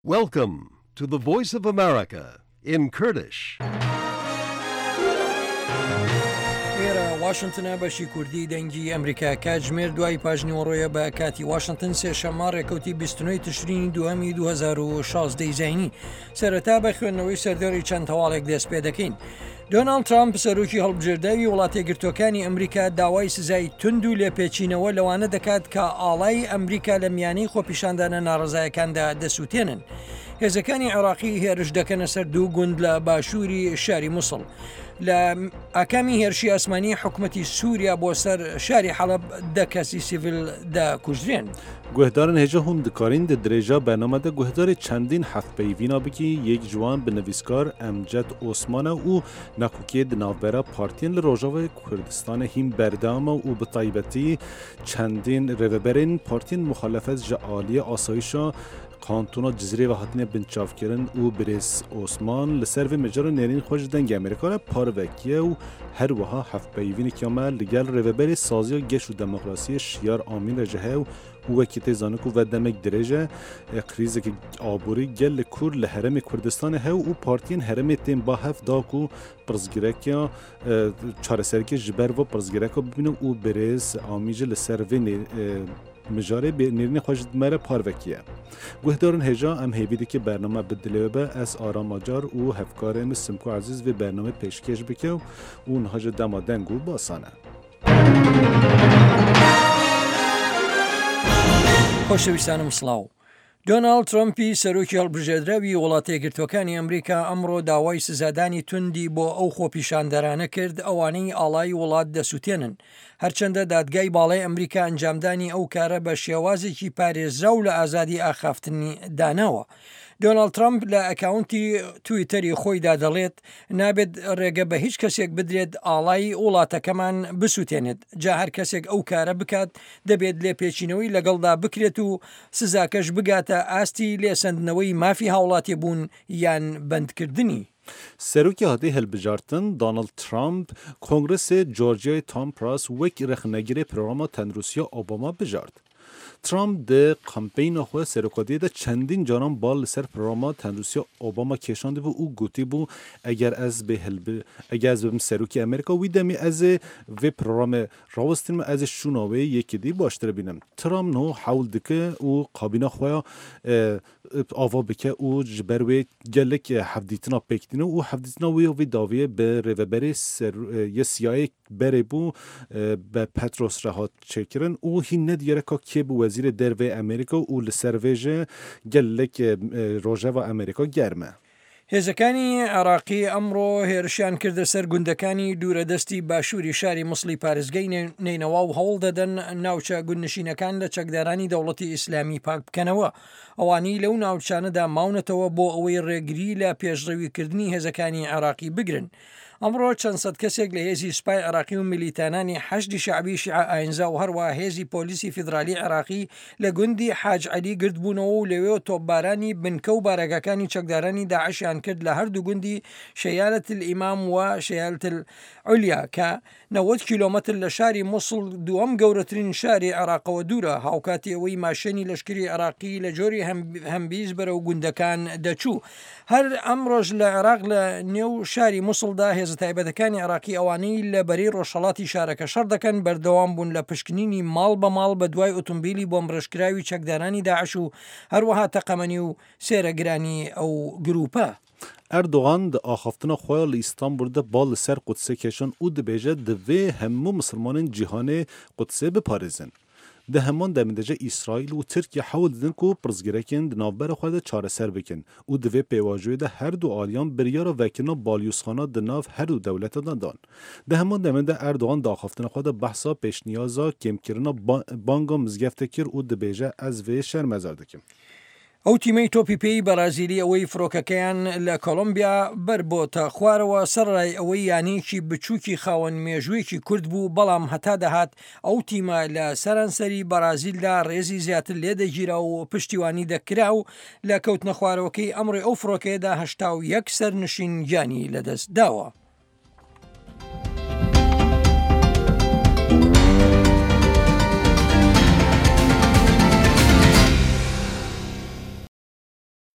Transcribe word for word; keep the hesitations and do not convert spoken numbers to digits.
Welcome to the Voice of America in Kurdish. ئێرە واشنتنە بەشی کوردی دەنگی ئەمریکا کاتژمێر دوای پاژنیوەڕۆیە بە کاتی واشنتن سێشەممە ڕێکەوتی بیست و نۆ تشرینی دووەمی دوو هەزار و شازدە ی زایینی. سەرەتا بە خوێندنەوەی سەردێڕی چەند هەواڵێک دەست پێ دەکەین. دۆناڵد ترامپ سەرۆکی هەڵبژێرداوی وڵاتەیەکگرتووەکانی ئەمریکا داوای سزای توند و لێپێچینەوە لەوانە دەکات کە ئاڵای ئەمریکا لە میانەی خۆپیشاندانە ناڕەزایەکاندا دەسووتێنن. هێزەکانی عێراقی هێرش دەکەنە سەر دوو گوند لە باشووری شاری موسڵ. لە ئاکامی هێرشی ئاسمانی حکومەتی سووریا بۆ سەر شاری حەڵەب دە کەسی سیڤیل دەکوژرێن. گوهدارن هێژە هون دکارین di dirêja bername de guhdarê çendîn hevpeyvîna bikî yek ji wan bi nivîskar Emced Osman e û nakokiyê di navbera partiyên li Rojavayê Kurdistanê hîn berdewam e û bi taybetî çendîn rêveberên partiyên muxalefet ji aliyê asayîşa kantona Cizîrê ve hatine binçavkirin û birêz Osman li ser vê mijarê nêrîn xwe ji dengê Amerîka re parvekiye û her wiha hevpeyvîneke me li gel rêveberê saziya geş û demokrasiyê Şiyar Amîn re ji hev û wekî tê zanin ku ve demek dirêj e krîzeke aborî gel li Kur li herêmê Kurdistanê hew û partiyên herêmê tên ba hev da ku pirsgirêka çareseriyê ji ber ve pirsgirêka bibînin û birêz Amîn jî li ser vê mijarê nêrînê xwe ji me re parvekiye. Guhdarên hêja em hêvî dike bername bi dilê we be ez Aram Acar û hevkarê min Simko Ezîz vê bernameyê pêşkêş bike û niha ji dema deng û basan e. خۆشەویستانم سڵاو. دۆناڵد ترەمپی سەرۆکی هەڵبژێردراوی وڵاتەیەکگرتووەکانی ئەمریکا ئەمڕۆ داوای سزادانی توندی بۆ ئەو خۆپیشاندەرانە کرد ئەوانەی ئاڵای وڵات دەسووتێنن. هەرچەندە دادگای باڵای ئەمریکا ئەنجامدانی ئەو کارە بە شێوازێکی پارێزراو لە ئازادی ئاخافتنی داناوە. دۆناڵد ترەمپ لە ئەکاونتی تویتەری خۆیدا دەڵێت نابێت ڕێگە بە هیچ کەسێک بدرێت ئاڵای وڵاتەکەمان بسووتێنێت. جا هەر کەسێک ئەو کارە بکات دەبێت لێپێچینەوەی لەگەڵدا بکرێت و سزاکەش بگاتە ئاستی لێسەندنەوەی مافی هاوڵاتی بوون یان بەندکردنی. سەرۆکی هاتێ هەلبژارتن دۆناڵد ترامپ کۆنگرسê Georgiayê Tom Price wek rexnegirê programa tenduristiya Obama bijart. Trump di kampeyna xwe serokatiyê de çendîn caran bal li ser programa tenduristiya Obama kêşandibû û gotibû eger ez bê hilbi eger ez bibim serokê Amerîka wî demê ez ê vê programê rawestînim ez ê şûna wê yekê dî baştir bînim. Trump niha hewl dike û kabîna xwe ya ava bike û ji ber wê gelek hevdîtina pêk tîne û hevdîtina wê ya vê dawiyê bi rêveberê yê siyayê berê bû bi Petros re hat çêkirin û hîn nediyare ka kê bû wezîrê derveyê Amerîka û li ser vê jî gelek rojeva Amerîka germ e. هێزەکانی عێراقی ئەمڕۆ هێرشیان کردە سەر گوندەکانی دوورەدەستی باشووری شاری موسڵی پارێزگەی نەینەوا و هەوڵ دەدەن ناوچە گوندنشینەکان لە چەکدارانی دەوڵەتی ئیسلامی پاک بکەنەوە. ئەوانەی لەو ناوچانەدا ماونەتەوە بۆ ئەوەی ڕێگری لە پێشڕەویکردنی هێزەکانی عێراقی بگرن. ئەمڕۆ چەند سەد کەسێک لە هێزی سوپای عێراقی و میلیتانانی حەشدی شەعبی شیعە ئاینزا و هەروە هێزی پۆلیسی فیدرالی عێراقی لە گوندی حاج عەلی گردبوونەوە و لەوێ تۆپبارانی بنکە و بارەگاکانی چەکدارانی داعشیان کرد لە هەردوو گوندی شەیالەت الئیمام و شەیالەت العلیا کە نەوەد کیلۆمەتر لە شاری موسڵ دووەم گەورەترین شاری عێراقەوە دوورە. هاوکاتی ئەوەی ماشێنی لەشکری عێراقی لە جۆری هەمبیز بەرەو گوندەکان دەچوو. هەر ئەمڕۆژ لە عێراق لە نێو شاری موسڵدا هێزە تایبەتەکانی عێراقی ئەوانەی لە بەرەی ڕۆژهەڵاتی شارەکە شەڕ دەکەن بەردەوام بوون لە پشکنینی ماڵ بە ماڵ بە دوای ئۆتۆمبیلی بۆمبڕێژکراوی چەکدارانی داعش و هەروەها تەقەمەنی و سێرەگرانی ئەو گروپە. Erdogan di axaftina xwe li Îstanbulê de bal li ser Qudsê kêşan û dibêje divê hemû misilmanên cîhanê Qudsê biparêzin. Di heman demê de jî Îsraîl û Tirkiye hewl didin ku pirsgirêkên di navbera xwe de çareser bikin û di vê pêvajoyê de her du aliyan biryara vekirina balyozxana di nav her du dewletan de dan. Di heman demê de Erdogan di axaftina xwe de behsa pêşniyaza kêmkirina banga mizgeftê kir û dibêje ez vê şermezar dikim. ئەو تیمەی تۆپی پێی بەرازیلی ئەوەی فڕۆکەکەیان لە کۆلۆمبیا بەربۆتە خوارەوە سەرڕای ئەوەی یانەیەکی بچووکی خاوەن مێژوویەکی کورد بوو، بەڵام هەتا دەهات ئەو تیمە لە سەرانسەری بەرازیلدا ڕێزی زیاتر لێدەگیرا و پشتیوانی دەکرا و لە کەوتنە خوارەوەکەی ئەمڕۆی ئەو فڕۆکەیەدا هەشتا و یەک سەرنشین گیانی لەدەست داوە.